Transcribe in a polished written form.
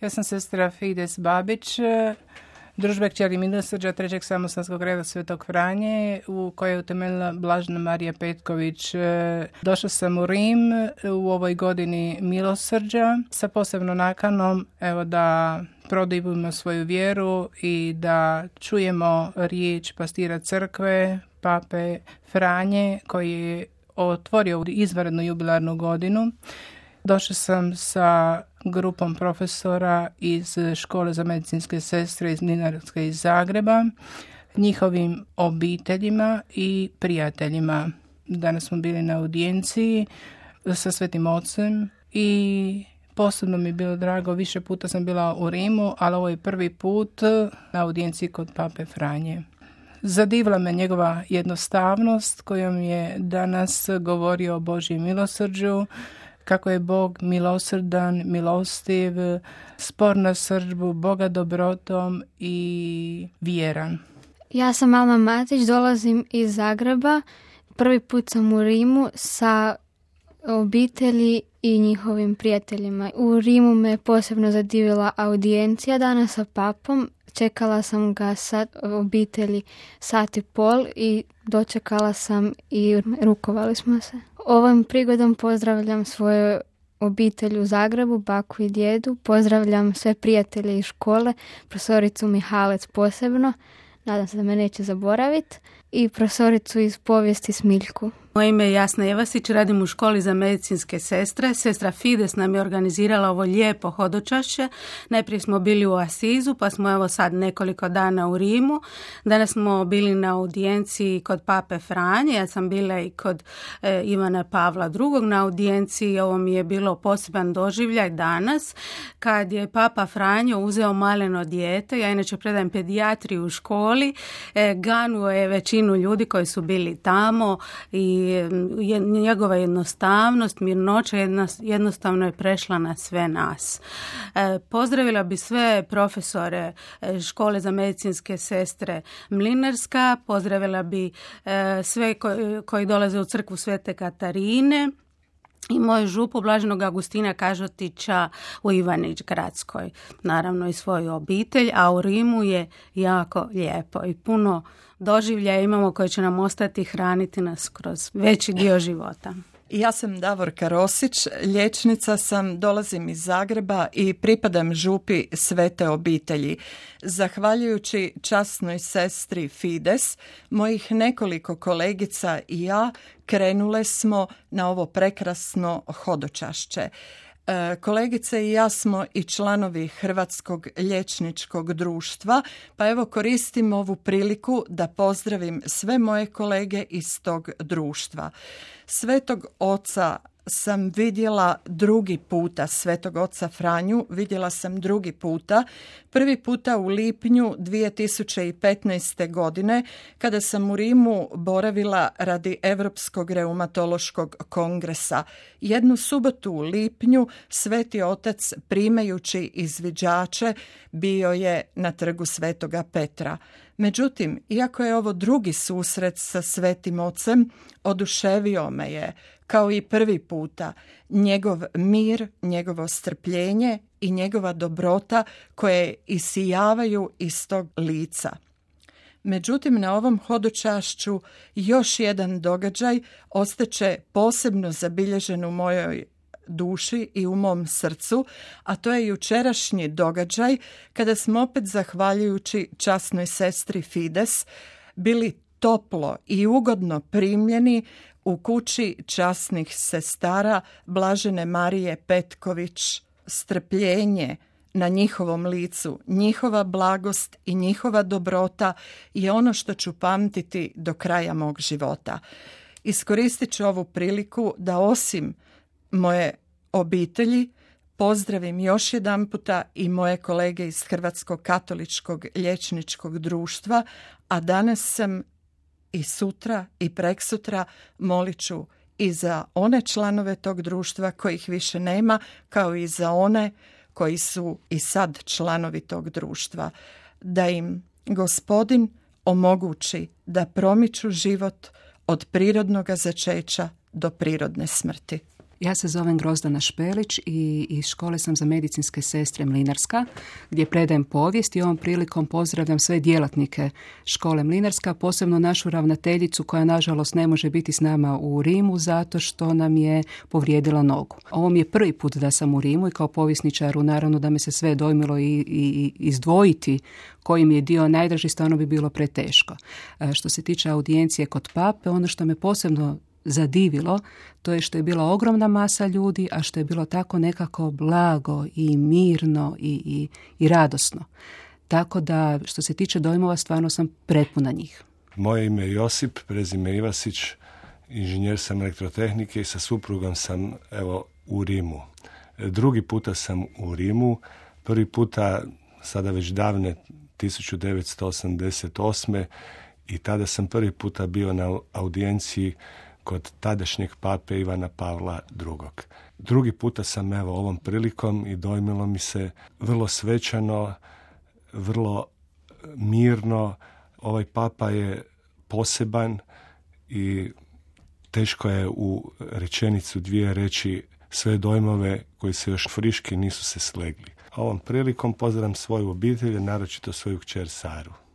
Ja sam sestra Fides Babić, družbe kćeri milosrđa Trećeg samostalskog reda Svetog Franje, u kojoj je utemeljila Blažena Marija Petković. Došla sam u Rim u ovoj godini milosrđa sa posebno nakanom da produbimo svoju vjeru i da čujemo riječ pastira crkve, pape Franje, koji je otvorio izvanrednu jubilarnu godinu. Došla sam sa grupom profesora iz škole za medicinske sestre iz Mlinarske iz Zagreba, njihovim obiteljima i prijateljima. Danas smo bili na audijenciji sa Svetim Ocem i posebno mi je bilo drago, više puta sam bila u Rimu, ali ovo je prvi put na audijenciji kod pape Franje. Zadivila me njegova jednostavnost kojom je danas govorio o Božjem milosrđu, kako je Bog milosrdan, milostiv, spor na srdbu, Boga dobrotom i vjeran. Ja sam Alma Matić, dolazim iz Zagreba. Prvi put sam u Rimu sa obitelji i njihovim prijateljima. U Rimu me posebno zadivila audijencija danas sa papom. Čekala sam ga sa obitelji 1.5 i dočekala sam i rukovali smo se. Ovom prigodom pozdravljam svoju obitelj u Zagrebu, baku i djedu. Pozdravljam sve prijatelje iz škole, profesoricu Mihalec posebno, nadam se da me neće zaboraviti, i profesoricu iz povijesti Smiljku. Moje ime je Jasna Evasić, radim u školi za medicinske sestre. Sestra Fides nam je organizirala ovo lijepo hodočašće. Najprije smo bili u Asizu, pa smo evo sad nekoliko dana u Rimu. Danas smo bili na audijenciji kod pape Franje. Ja sam bila i kod Ivana Pavla II. Na audijenciji. Ovo mi je bilo poseban doživljaj danas, kad je papa Franjo uzeo maleno dijete. Ja inače predajem pedijatriju u školi. Ganuo je većinu ljudi koji su bili tamo i njegova jednostavnost, mirnoća jednostavno je prešla na sve nas. Pozdravila bi sve profesore škole za medicinske sestre Mlinarska, pozdravila bi sve koji dolaze u crkvu Svete Katarine i moju župu Blaženog Agustina Kažotića u Ivanić Gradskoj, naravno i svoju obitelj, a u Rimu je jako lijepo i puno doživljaja imamo koje će nam ostati hraniti nas kroz veći dio života. Ja sam Davorka Rosić, liječnica sam, dolazim iz Zagreba i pripadam župi Svete obitelji. Zahvaljujući časnoj sestri Fides, mojih nekoliko kolegica i ja krenule smo na ovo prekrasno hodočašće. Kolegice i ja smo i članovi Hrvatskog liječničkog društva, pa evo koristim ovu priliku da pozdravim sve moje kolege iz tog društva. Svetog oca sam vidjela drugi puta, Svetog oca Franju vidjela sam drugi puta. Prvi puta u lipnju 2015. godine kada sam u Rimu boravila radi Europskog reumatološkog kongresa. Jednu subotu u lipnju Sveti otac primajući izviđače bio je na trgu Svetoga Petra. Međutim, iako je ovo drugi susret sa Svetim ocem, oduševio me je, kao i prvi puta, njegov mir, njegovo strpljenje i njegova dobrota koje isijavaju iz tog lica. Međutim, na ovom hodočašću još jedan događaj ostaće posebno zabilježen u mojoj duši i u mom srcu, a to je jučerašnji događaj kada smo opet zahvaljujući časnoj sestri Fides bili toplo i ugodno primljeni u kući časnih sestara Blažene Marije Petković. Strpljenje na njihovom licu, njihova blagost i njihova dobrota je ono što ću pamtiti do kraja mog života. Iskoristit ću ovu priliku da osim moje obitelji pozdravim još jedanputa i moje kolege iz Hrvatskog katoličkog liječničkog društva, a danas sam i sutra i preksutra molit ću i za one članove tog društva kojih više nema, kao i za one koji su i sad članovi tog društva, da im Gospodin omogući da promiču život od prirodnog začeća do prirodne smrti. Ja se zovem Grozdana Špelić i iz škole sam za medicinske sestre Mlinarska, gdje predajem povijest i ovom prilikom pozdravljam sve djelatnike škole Mlinarska, posebno našu ravnateljicu koja nažalost ne može biti s nama u Rimu zato što nam je povrijedila nogu. Ovo mi je prvi put da sam u Rimu i kao povjesničaru naravno da me se sve dojmilo i izdvojiti koji mi je dio najdraži, stvarno bi bilo preteško. Što se tiče audijencije kod pape, ono što me posebno zadivilo, to je što je bila ogromna masa ljudi, a što je bilo tako nekako blago i mirno i radosno. Tako da, što se tiče dojmova, stvarno sam prepuna njih. Moje ime je Josip, prezime Ivasić, inženjer sam elektrotehnike i sa suprugom sam u Rimu. Drugi puta sam u Rimu, prvi puta sada već davne 1988. i tada sam prvi puta bio na audijenciji kod tadašnjeg pape Ivana Pavla II. Drugi puta sam ovom prilikom i dojmilo mi se vrlo svečano, vrlo mirno. Ovaj papa je poseban i teško je u rečenicu dvije reći sve dojmove koji se još friški nisu se slegli. Ovom prilikom pozdravljam svoju obitelj, naročito svoju kćer Saru.